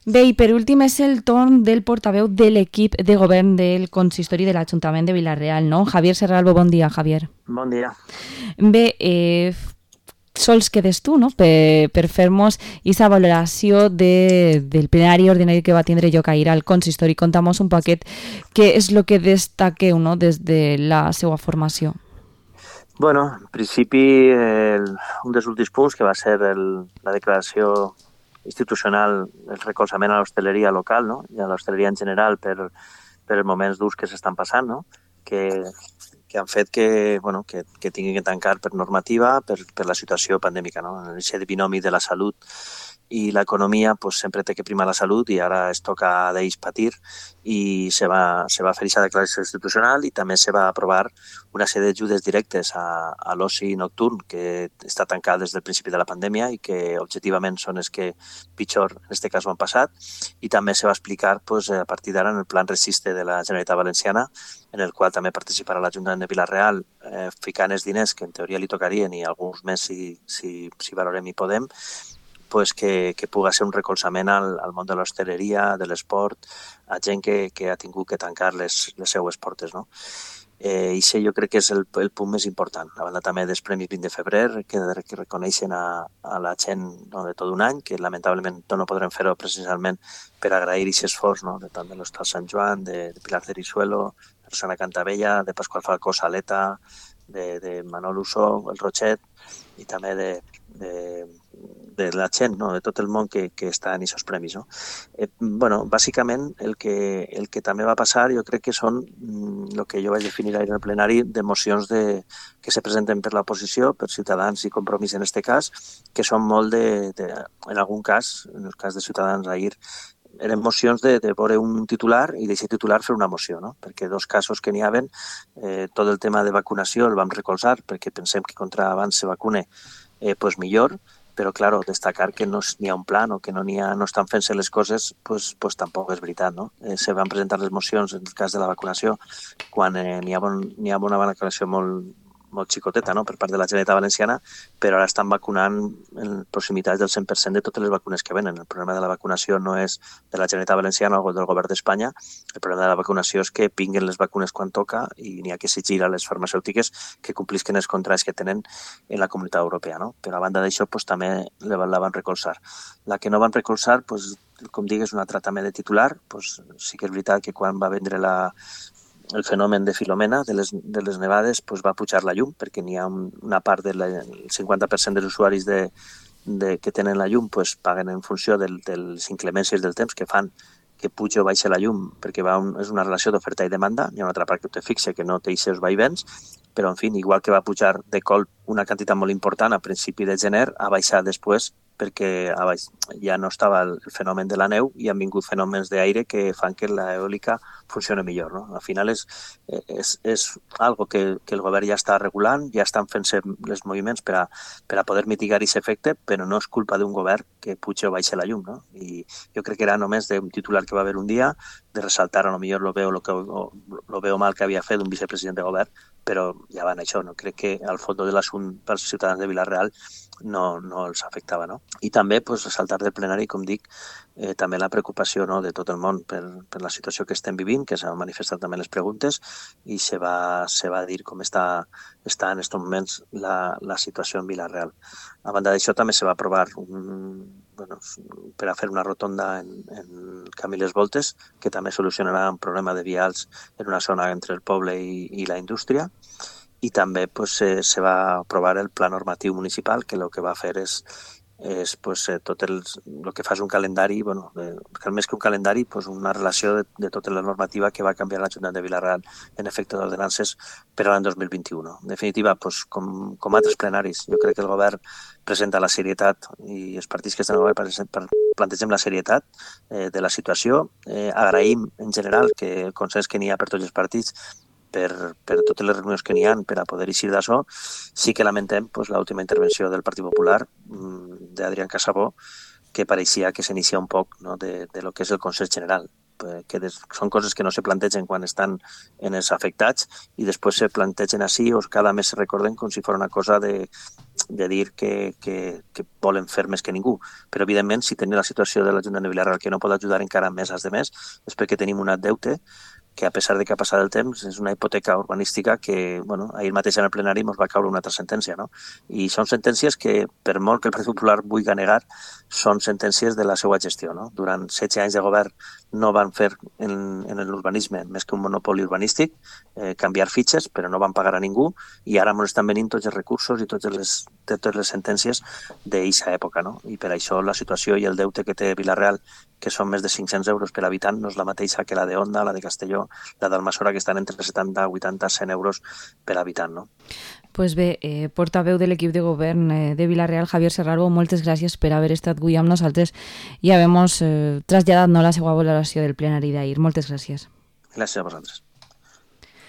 Bé, i per últim és el torn del portaveu de l'equip de govern del consistori de l'Ajuntament de Vila-real, no? Javier Serralbo, bon dia, Javier. Bon dia. Bé, sols quedes tu, no?, per fer-nos aquesta valoració del plenari ordinari que va tindre lloc ahir al consistori. Conta'm un poquet què és el que destaqueu, no?, des de la seva formació. Bueno, en principi, un dels últims punts, que va ser la declaració institucional, el recolzament a l'hostaleria local, no?, i a l'hostaleria en general per els moments durs que s'estan passant, no?, que han fet que tinguin que tancar per normativa, per la situació pandèmica, no? En aquest binomi de la salut i l'economia pues, sempre té que primar la salut i ara es toca d'ells patir i se va fer aquesta declaració institucional i també se va aprovar una sèrie d'ajudes directes a l'oci nocturn que està tancat des del principi de la pandèmia i que objectivament són els que pitjor en aquest cas ho han passat i també se va explicar pues, a partir d'ara en el plan Resiste de la Generalitat Valenciana en el qual també participarà l'Ajuntament de Vila-real ficant els diners que en teoria li tocarien i alguns més si valorem i podem pues que pugui ser un recolzament al món de l'hostaleria, de l'esport, a gent que ha tingut que tancar les seues portes, no? I això jo crec que és el punt més important. A banda també dels Premis 20 de febrer, que reconeixen a la gent no, de tot un any, que lamentablement no podrem fer-ho precisament per agrair aquest esforç, no? De tant de l'Hostal Sant Joan, de Pilar Cerisuelo, de Rosana Cantabella, de Pasqual Falcó Saleta, de Manol Usó, el Rochet, i també de la gent, no? De tot el món que està en aquests premis. No? Bàsicament, el que també va passar, jo crec que són el que jo vaig definir ahir en el plenari d'emocions que se presenten per l'oposició, per Ciutadans i Compromís en aquest cas, que són molt en algun cas, en el cas de Ciutadans ahir, eren mocions de veure un titular i d'aquest titular fer una moció, no? Perquè dos casos que n'hi haven, tot el tema de vacunació el vam recolzar perquè pensem que contra abans se vacune pues millor, però claro, destacar que no n'hi ha un plan o que no estan fent-se les coses pues tampoc és veritat, no? Se van presentar les mocions en el cas de la vacunació quan n'hi ha una vacunació molt xicoteta, no?, per part de la Generalitat Valenciana, però ara estan vacunant en proximitats del 100% de totes les vacunes que venen. El problema de la vacunació no és de la Generalitat Valenciana o del govern d'Espanya, el problema de la vacunació és que vinguen les vacunes quan toca i n'hi ha que exigir a les farmacèutiques que complisquen els contrats que tenen en la Comunitat Europea, no? Però a banda d'això, pues, també la van recolzar. La que no van recolzar, pues, com digues, un altre també de titular, pues, sí que és veritat que quan va vendre el fenomen de Filomena, de les nevades, pues va pujar la llum, perquè n'hi ha una part del 50% dels usuaris que tenen la llum pues, paguen en funció de les inclemències del temps que fan que puja o baixa la llum, perquè és una relació d'oferta i demanda. Hi ha una altra part que te fixa que no té aquests vaivens, però, en fi, igual que va pujar de colp una quantitat molt important a principi de gener, ha baixat després perquè ja no estava el fenomen de la neu i han vingut fenòmens d'aire que fan que l'eòlica funcioni millor. No? Al final és algo que el govern ja està regulant, ja estan fent-se els moviments per a poder mitigar aquest efecte, però no és culpa d'un govern que puja o baixa la llum. No? I jo crec que era només d'un titular que va haver un dia, de ressaltar a lo millor lo veo mal que havia fet un vicepresident de govern, però ja van això. No? Crec que al fons de l'assumpte pels ciutadans de Vila-real no els afectava. No? I també pues, ressaltar del plenari, com dic, també la preocupació no, de tot el món per la situació que estem vivint, que s'han manifestat també les preguntes, i se va dir com està en aquests moments la situació en Vila-real. A banda d'això també se va aprovar per a fer una rotonda en Camí Les Voltes, que també solucionarà un problema de vials en una zona entre el poble i la indústria, i també pues, se va aprovar el pla normatiu municipal, que el que va fer és pues, tot el que fa és un calendari, més que un calendari, pues, una relació de tota la normativa que va canviar l'Ajuntament de Vila-real en efecte d'ordenances per a l'any 2021. En definitiva, pues, com altres plenaris, jo crec que el govern presenta la serietat i els partits que estan al govern plantegem la serietat de la situació. Agraïm en general que el consens que n'hi ha per tots els partits per totes les reunions que n'hi ha per a poder eixir d'això. Sí que lamentem pues, l'última intervenció del Partit Popular d'Adrián Casabó, que pareixia que s'inicia un poc no, de lo que és el Consell General, que són coses que no se plantegen quan estan en els afectats i després se plantegen així o cada mes se recorden com si fos una cosa de dir que volen fer més que ningú. Però, evidentment, si tenim la situació de l'Ajuntament de Vila-real que no pot ajudar encara més als demés, és perquè tenim un deute que, a pesar de que ha passat el temps, és una hipoteca urbanística que, bueno, ahir mateix en el plenari ens va caure una altra sentència, no? I són sentències que, per molt que el Partit Popular vulgui negar, són sentències de la seva gestió, no? Durant 16 anys de govern no van fer en l'urbanisme més que un monopoli urbanístic, canviar fitxes, però no van pagar a ningú, i ara ens estan venint tots els recursos i totes les sentències d'aquesta època, no? I per això la situació i el deute que té Vila-real, que són més de 500 euros per habitant, no és la mateixa que la de Onda, la de Castelló, la d'Almassora, que estan entre 70, 80, 100 euros per habitant, no? Pues bé, portaveu de l'equip de govern de Vila-real, Javier Serralbo, moltes gràcies per haver estat avui amb nosaltres i haver-nos traslladat la seva valoració del plenari d'ahir. Moltes gràcies. Gràcies a vosaltres.